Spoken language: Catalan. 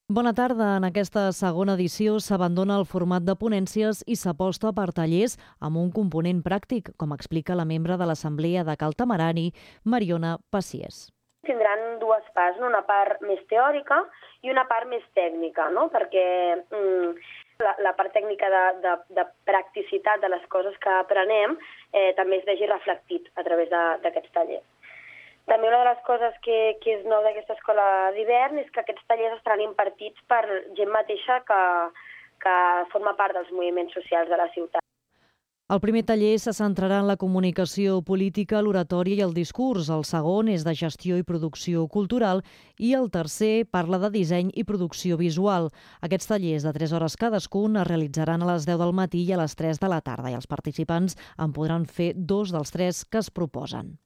Bona tarda. En aquesta segona edició s'abandona el format de ponències i s'aposta per tallers amb un component pràctic, com explica la membre de l'Assemblea de Cal Tamarani, Mariona Paciés. Tindran dues parts, no? Una part més teòrica i una part més tècnica, no? Perquè la part tècnica de practicitat de les coses que aprenem també es vegi reflectit a través d'aquests tallers. També una de les coses que és nou d'aquesta escola d'hivern és que aquests tallers estaran impartits per gent mateixa que forma part dels moviments socials de la ciutat. El primer taller se centrarà en la comunicació política, l'oratòria i el discurs. El segon és de gestió i producció cultural i el tercer parla de disseny i producció visual. Aquests tallers de 3 hores cadascun es realitzaran a les 10 del matí i a les 3 de la tarda i els participants en podran fer 2 dels 3 que es proposen.